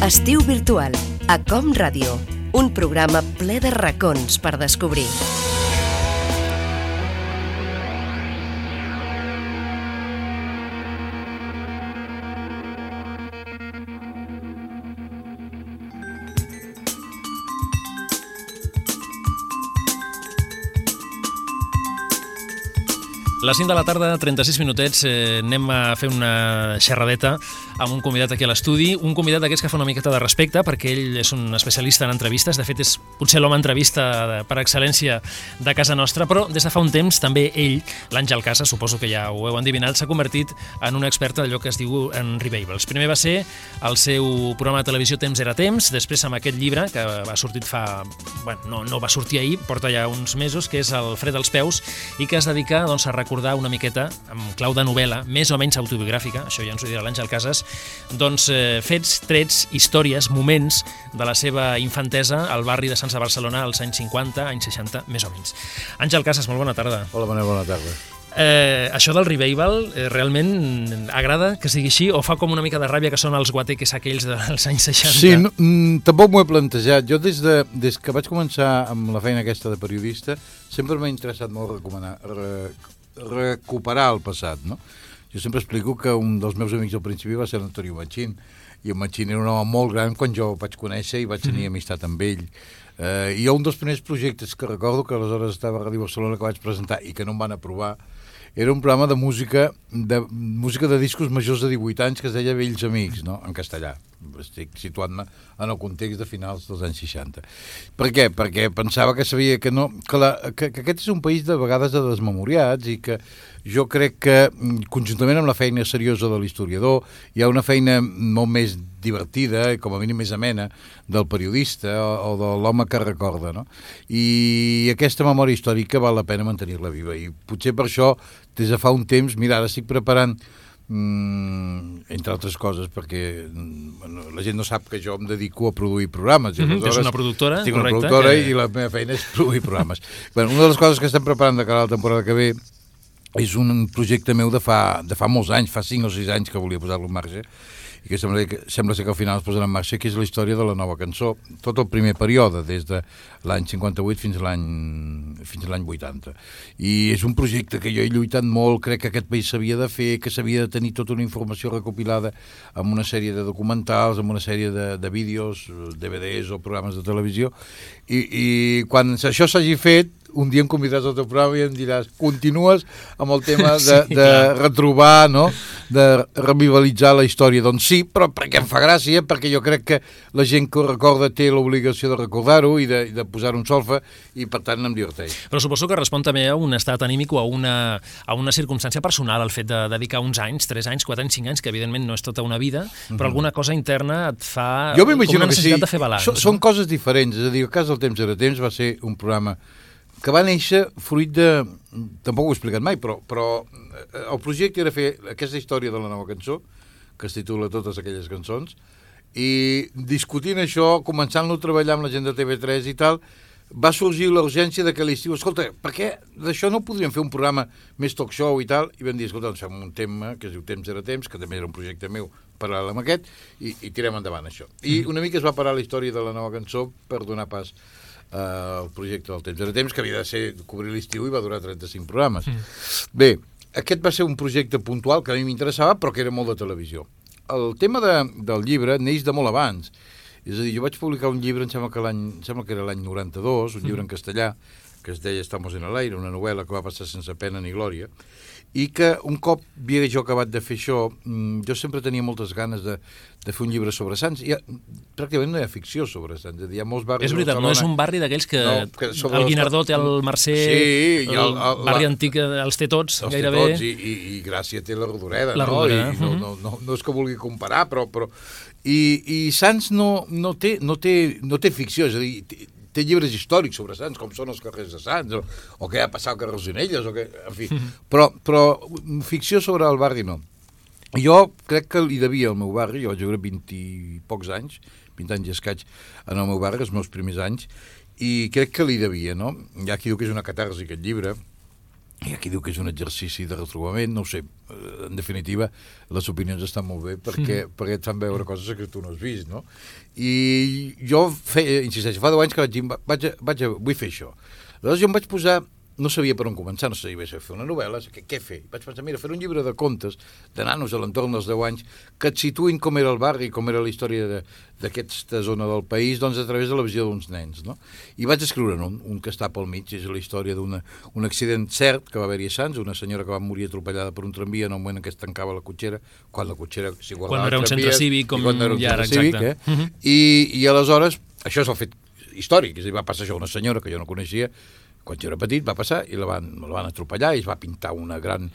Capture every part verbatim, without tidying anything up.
Estiu virtual, a Com Ràdio, un programa ple de racons per descobrir. Les cinc de la tarda, trenta-sis minutets, eh, anem a fer una xerradeta amb un convidat aquí a l'estudi, un convidat d'aquests que fa una miqueta de respecte, perquè ell és un especialista en entrevistes, de fet és potser l'home entrevista per excel·lència de casa nostra, però des de fa un temps també ell, l'Àngel Casas, suposo que ja ho heu endivinat, s'ha convertit en un expert d'allò que es diu en revival. Primer va ser el seu programa de televisió Temps era temps, després amb aquest llibre, que va sortit fa... Bueno, no, no va sortir ahir, porta ja uns mesos, que és el Fred als peus, i que es dedica doncs, a recordar una miqueta, amb clau de novel·la, més o menys autobiogràfica, això ja ens ho dirà l'Àngel Casas, doncs eh, fets, trets, històries, moments de la seva infantesa al barri de Sants de Barcelona als anys cinquanta, anys seixanta, més o menys. Àngel Casas, molt bona tarda. Hola, bona, bona tarda. Eh, això del revival eh, realment agrada que sigui així o fa com una mica de ràbia que són els guateques aquells dels anys seixanta? Sí, no, mm, tampoc m'ho he plantejat. Jo des, de, des que vaig començar amb la feina aquesta de periodista sempre m'ha interessat molt recomanar, re, recuperar el passat, no? Jo sempre explico que un dels meus amics al principi va ser l'Antonio Machín, i en Machín era un home molt gran quan jo el vaig conèixer i vaig tenir amistat amb ell. Eh, I un dels primers projectes que recordo que aleshores estava a Ràdio Barcelona que vaig presentar i que no em van aprovar era un programa de música de música de discos majors de divuit anys que es deia Vells Amics, no? En castellà. Estic situant-me en el context de finals dels anys seixanta. Per què? Perquè pensava que sabia que no... Que, la, que, que aquest és un país de vegades de desmemoriats i que jo crec que conjuntament amb la feina seriosa de l'historiador hi ha una feina molt més divertida, com a mínim més amena, del periodista o, o de l'home que recorda, no? I aquesta memòria històrica val la pena mantenir-la viva i potser per això des de fa un temps, mira, ara estic preparant Mm, entre altres coses perquè bueno, la gent no sap que jo em dedico a produir programes. Mm-hmm, és una productora, estic correcte. Una productora que... i la meva feina és produir programes. Bueno, una de les coses que estem preparant de cara a la temporada que ve és un projecte meu de fa, de fa molts anys, fa cinc o sis anys que volia posar-lo en marxa i que sembla, que sembla ser que al final es posarà en marxa, que és la història de la nova cançó, tot el primer període, des de l'any cinquanta-vuit fins a l'any fins a l'any vuitanta. I és un projecte que jo he lluitat molt, crec que aquest país s'havia de fer, que s'havia de tenir tota una informació recopilada amb una sèrie de documentals, amb una sèrie de, de vídeos, D V Ds o programes de televisió, i, i quan això s'hagi fet, un dia em convidaràs al teu programa i em diràs continues amb el tema de, sí, de retrobar, no? De revivalitzar la història. Doncs sí, però perquè em fa gràcia, perquè jo crec que la gent que ho recorda té l'obligació de recordar-ho i de, de posar un solfa i per tant em diverteix. Però suposo que respon també a un estat anímic o a una, a una circumstància personal el fet de dedicar uns anys, tres anys, quatre anys, cinc anys, que evidentment no és tota una vida, però mm-hmm. alguna cosa interna et fa jo com una necessitat sí. de fer balanç. So, no? Són coses diferents, és a dir, el cas del Temps era temps va ser un programa que va néixer fruit de... Tampoc ho he explicat mai, però, però el projecte era fer aquesta història de la nova cançó, que es titula Totes aquelles cançons, i discutint això, començant-lo a treballar amb la gent de T V tres i tal, va sorgir l'urgència de que l'estiu, escolta, per què d'això no podríem fer un programa més talk show i tal? I vam dir, escolta, doncs fem un tema que es diu Temps era temps, que també era un projecte meu paral·lel amb aquest, i, i tirem endavant això. I una mica es va parar la història de la nova cançó per donar pas Uh, el projecte del Temps era temps, que havia de ser cobrir l'estiu i va durar trenta-cinc programes. Mm. Bé, aquest va ser un projecte puntual que a mi m'interessava, però que era molt de televisió. El tema de, del llibre neix de molt abans. És a dir, jo vaig publicar un llibre, em sembla que, l'any, em sembla que era l'any noranta-dos, un mm. llibre en castellà, que es deia Estamos en el aire, una novel·la que va passar sense pena ni glòria, i que un cop havia jo acabat de fer això, jo sempre tenia moltes ganes de, de fer un llibre sobre Sants. Hi ha, pràcticament no hi ha ficció sobre Sants. Hi ha molts barris... És veritat, no és un barri d'aquells que, no, que el Guinardó té el Mercè, sí, el, el, el barri la, antic els té tots, els gairebé. Els té tots, i, i, i Gràcia té la Rodoreda, la no? Rodoreda. I no, no, no, no és que vulgui comparar, però... però i, i Sants no, no, té, no, té, no té ficció, és a dir... Té, té llibres històrics sobre Sants, com són els carrers de Sants, o, o què ha passat al carrer Rosonelles, o què, en fi. Però, però ficció sobre el barri no. Jo crec que li devia al meu barri, jo vaig viure vint i pocs anys, vint anys i escaig en el meu barri, els meus primers anys, i crec que li devia, no? Hi ha qui diu que és una catarsi, aquest llibre, i aquí diu que és un exercici de retrobament, no ho sé, en definitiva, les opinions estan molt bé perquè, mm. perquè et fan veure coses que tu no has vist, no? I jo, fe, insisteixo, fa deu anys que vaig dir, vaig, vaig, vull fer això. Llavors jo em vaig posar, no sabia per on començar, no sabia fer una novel·la, què, què fer? Vaig pensar, mira, fer un llibre de contes, de nanos a l'entorn dels deu anys, que et situïn com era el barri, com era la història d'aquesta zona del país, doncs a través de la visió d'uns nens, no? I vaig escriure un, un que està pel mig, és la història d'un accident cert que va haver-hi a Sants, una senyora que va morir atropellada per un tramvia en el moment en què es tancava la cotxera, quan la cotxera s'hi guardava quan era un centre cívic, com ja ara, exacte. Cívic, eh? uh-huh. I, I aleshores, això és el fet històric, és a dir, va passar això a una senyora que jo no coneixia, quan jo era petit va passar i la van, la van atropellar i es va pintar una gran,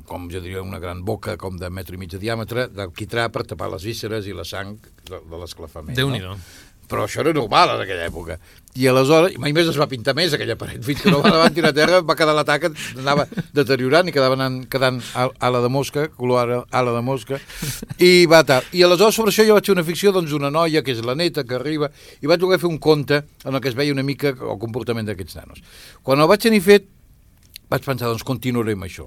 com jo diria, una gran boca com de metre i mig de diàmetre d'alquitrà per tapar les vísceres i la sang de, de l'esclafament. Déu-n'hi-do. No? Però això era normal en aquella època. I aleshores, mai més es va pintar més aquella paret, fins que no la van tirar a terra, va quedar la taca, anava deteriorant i quedava anant, quedant ala de mosca, color ala de mosca, i va tal. I aleshores sobre això jo vaig fer una ficció doncs d'una noia, que és la neta, que arriba, i vaig voler fer un conte en el que es veia una mica el comportament d'aquests nanos. Quan el vaig tenir fet, vaig pensar, doncs continuaré amb això.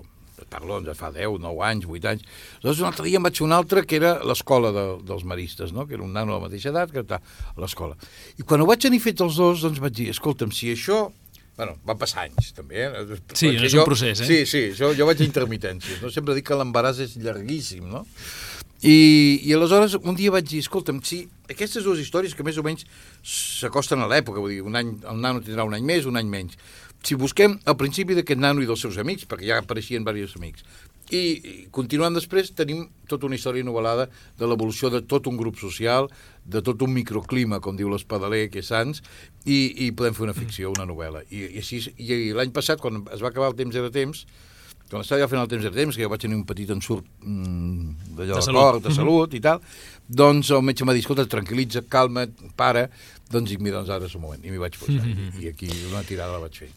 Parlo, doncs, fa deu, nou anys, vuit anys. Llavors, un altre dia em vaig fer un altre, que era l'escola de, dels maristes, no? Que era un nano de la mateixa edat, que està a l'escola. I quan ho vaig tenir fet els dos, doncs vaig dir, escolta'm, si això... Bueno, van passar anys, també, eh? Sí, no és un procés, eh? Sí, sí, jo, jo vaig a intermitències, no? Sempre dic que l'embaràs és llarguíssim, no? I, I aleshores, un dia vaig dir, escolta'm, si aquestes dues històries que més o menys s'acosten a l'època, vull dir, un any, el nano tindrà un any més, un any menys, si busquem al principi d'aquest nano i dels seus amics, perquè ja apareixien diversos amics, i, i continuant després tenim tota una història novel·lada de l'evolució de tot un grup social, de tot un microclima, com diu l'Espadaler, que és Sants, i, i podem fer una ficció, una novel·la. I, i, així, i l'any passat, quan es va acabar el temps era temps, quan estava ja fent el temps era temps, que jo vaig tenir un petit ensurt mmm, d'allò de cor, de salut i tal, doncs el metge m'ha dit, escolta, tranquil·litza, calma't, para, doncs dic, mira, doncs ara és el moment, i m'hi vaig posar, mm-hmm. i aquí una tirada la vaig fer.